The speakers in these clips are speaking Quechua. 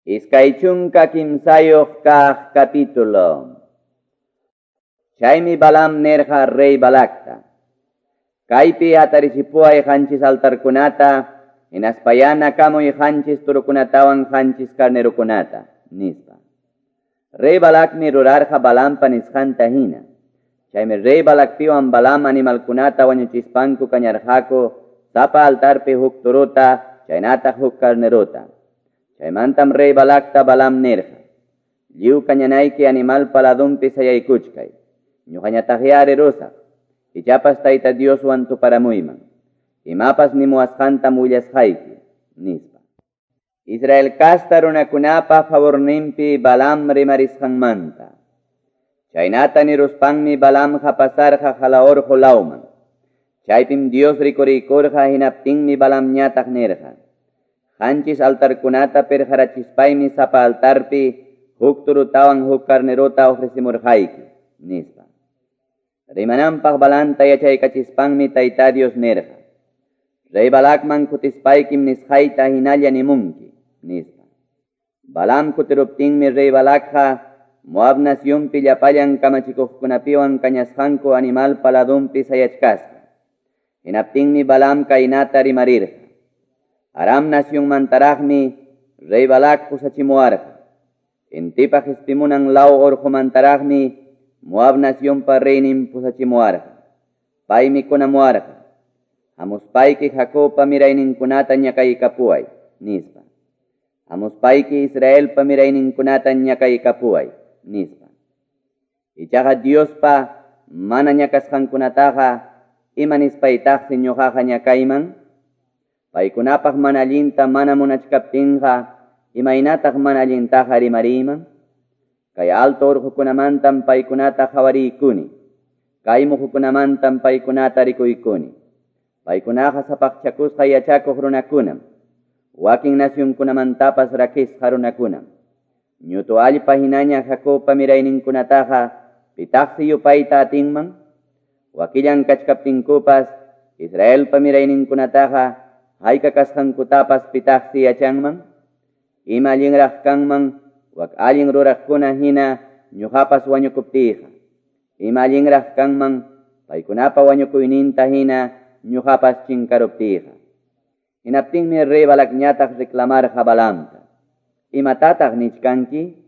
23 kaq capítulo. Chaymi Balaam nirqa rey Balacta: Kaypi hatarichipuway qanchis altarkunata, hinaspayá nakamuy qanchis turukunatawan qanchis carnerokunata, nispa. Rey Balacmi rurarqa Balaampa nisqanta hina. Chaymi rey Balacpiwan Balaam animalkunata wañuchispanku kañarqaku sapa altarpi huk turuta, chaynataq huk carnerota. Chaymantam rey Balacta Balaam nirqa: Lliw kañanayki animalpa ladunpi sayaykuchkay. Ñuqañataqyá rirusaq. Ichapas Tayta Dioswan tuparamuyman. Imapas nimuwasqantam willasqayki, nispa. Israel casta runakunapa favorninpi Balaam rimarisqanmanta. Chaynata niruspanmi Balaamqa pasarqa Jalaorqu lawman. Chaypim Dios rikuriykurqa, hinaptinmi Balaamñataq nirqa: Qanchis altarkunata pirqarachispaymi sapa altarpi huk turutawan huk carnerota ofrecimurqayki, nispa. Rimananpaq Balaamta yachaykachispanmi Tayta Dios nirqa: Rey Balacman kutispaykim nisqayta hinalla nimunki, nispa. Balaam kutiruptinmi rey Balacqa Moab nacionpi llapallan kamachikuqkunapiwan kañasqanku animalpa ladunpi sayachkasqa. Hinaptinmi Balaam kaynata rimarirqa: Aram nacionmantaraqmi rey Balac pusachimuwarqa. Intipa qispimunan law urqumantaraqmi Moab nacionpa reynin pusachimuwarqa. Paymi kunamuwarqa: Hamuspayki Jacobpa mirayninkunata ñakaykapuway, nispa. Hamuspayki Israelpa mirayninkunata ñakaykapuway, nispa. Ichaqa Diospa mana ñakasqankunataqa ima nispaytaqsi ñuqaqa ñakayman? Paykunapaq mana allinta mana munachkaptinqa imaynataq mana allintaqa rimariyman? Kay alto urqukunamantam paykunata qhawariykuni. Kay muhukunamantam paykunata rikuykuni. Paykunaqa sapaqchakusqa yachakuq runakunam. Wakin nacionkunamantapas rakisqa runakunam. Ñutu allpa hinaña Jacobpa mirayninkunataqa pitaqsi yupayta atinman? Wakillan kachkaptinkupas Israelpa mirayninkunataqa hayka kasqankutapas pitaqsi yachanman? Ima allinraq kanman wak allin ruraqkuna hina ñuqapas wañukuptiyqa. Ima allinraq kanman paykunapa wañukuyninta hina ñuqapas chinkaruptiyqa. Hinaptinmi rey Balacñataq reclamarqa Balaamta: Imatataq nichkanki?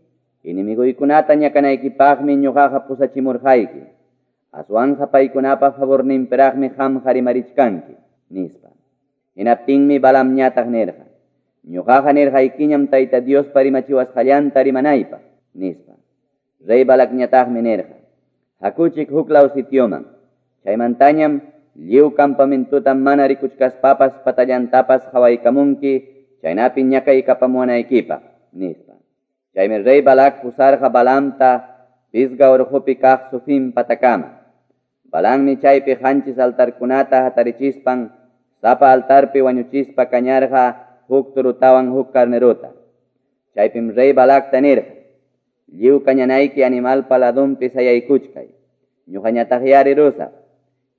Enemiguykunata ñakanaykipaqmi ñuqaqa pusachimurqayki. Aswanqa paykunapa favorninpiraqmi qamqa rimarichkanki, nispa. Hinaptinmi Balaamñataq nirqa: Ñuqaqa nirqaykiñam Tayta Diospa rimachiwasqallanta rimanaypaq, nispa. Rey Balacñataqmi nirqa: Hakuchik huklaw sitioman. Chaymantañam lliw campamentuta mana rikuchkaspapas patallantapas qhawaykamunki, chaynapi ñakaykapamuwanaykipaq, nispa. Chaymi rey Balac pusarqa Balaamta Pisga urqupi kaq Sufim patakama. Balaammi chaypi qanchis altarkunata hatarichispan sapa altarpi wañuchispa kañarqa huk turutawan huk carnerota. Chaypim rey Balacta nirqa: Lliw kañanayki animalpa ladunpi sayaykuchkay. Ñuqañataqyá rirusaq.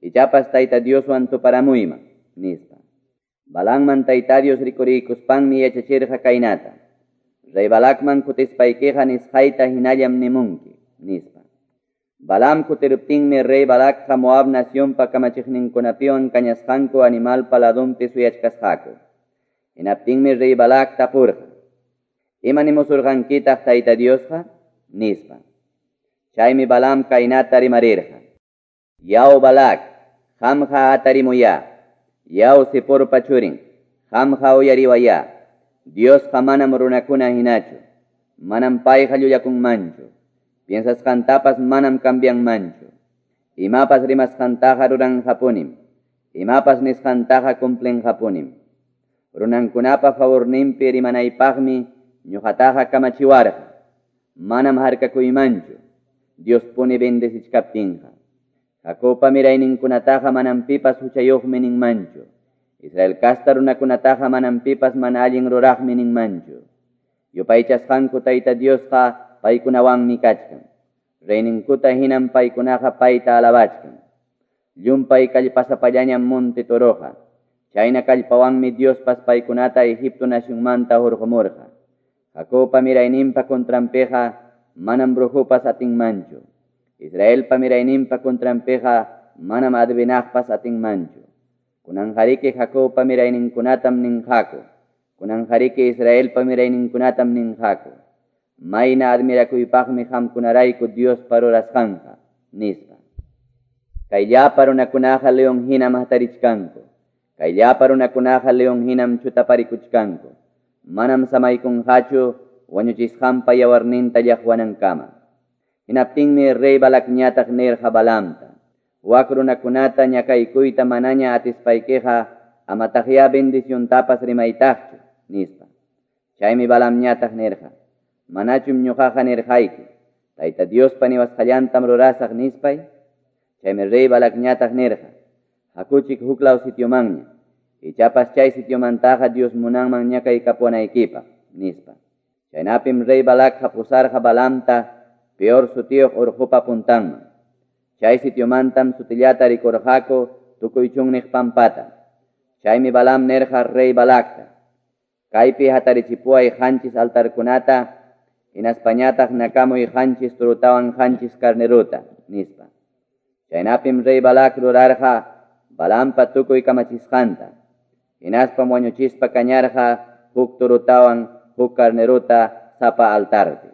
Ichapas Tayta Dioswan tuparamuyman, nispa. Balaamman Tayta Dios rikuriykuspanmi yachachirqa kaynata: Rey Balacman kutispaykiqa nisqayta hinallam nimunki, nispa. Balaam kutiruptinmi rey Balacqa Moab nacionpa kamachiqninkunapiwan kañasqanku animalpa ladunpi suyachkasqaku. Hinaptinmi rey Balac tapurqa: Ima nimusurqankitaq Tayta Diosqa? Nispa. Chaymi Balaam kaynata rimarirqa: Yaw Balac, qamqa atarimuyá. Yaw Ziporpa churin, qamqa uyariwayá. Diosqa manam runakuna hinachu. Manam payqa llullakunmanchu. Piensasqantapas manam cambianmanchu. Imapas rimasqantaqa ruranqapunim. Imapas nisqantaqa cumplinqapunim. Runankunapa favorninpi rimanaypaqmi ñuqataqa kamachiwarqa. Manam harkakuymanchu. Diospuni bendecichkaptinqa. Jacobpa mirayninkunataqa manam pipas huchayuqmi ninmanchu. Israel casta runakunataqa manam pipas mana allin ruraqmi ninmanchu. Yupaychasqanku Tayta Diosqa paykunawanmi kachkan. Reyninkuta hinam paykunaqa payta alabachkan. Llumpay kallpasapallañam monte toroqa. Chayna kallpawanmi Diospas paykunata Egipto nacionmanta hurqumurqa. Jacobpa mirayninpa contranpiqa manam brujopas atinmanchu. Israelpa mirayninpa contranpiqa manam adivinaqpas atinmanchu. Kunanqariki Jacobpa mirayninkunatam ninqaku. Kunanqariki Israelpa mirayninkunatam ninqaku. Mayna admirakuypaqmi qamkunarayku Diospa rurasqanqa, nispa. Kay llapa runakunaqa leon hinam hatarichkanku. Kay llapa runakunaqa leon hinam chutaparikuchkanku. Manam samaykunqachu wañuchisqanpa yawarninta llaqwanankama. Hinaptinmi rey Balacñataq nirqa Balaamta: Wak runakunata ñakaykuyta manaña atispaykiqa amataqyá bendiciontapas rimaytaqchu, nispa. Chaymi Balaamñataq nirqa: Manachum ñuqaqa nirqayki, Tayta Diospa niwasqallantam rurasaq nispay? Chaymi rey Balacñataq nirqa: Hakuchik huklaw sitiomanña, ichapas chay sitiomantaqa Dios munanman ñakaykapuwanaykipaq, nispa. Chaynapim rey Balacqa pusarqa Balaamta Peor sutiyuq urqupa puntanman. Chay sitiomantam sutillata rikurqaku tukuy chunniq pampata. Chaymi Balaam nirqa rey Balacta: Kaypi hatarichipuway qanchis altarkunata, hinaspañataq nakamuy qanchis turutawan qanchis carneruta, nispa. Chaynapim rey Balac rurarqa Balaampa tukuy kamachisqanta. Hinaspam wañuchispa kañarqa huk turutawan huk carneruta sapa altarpi.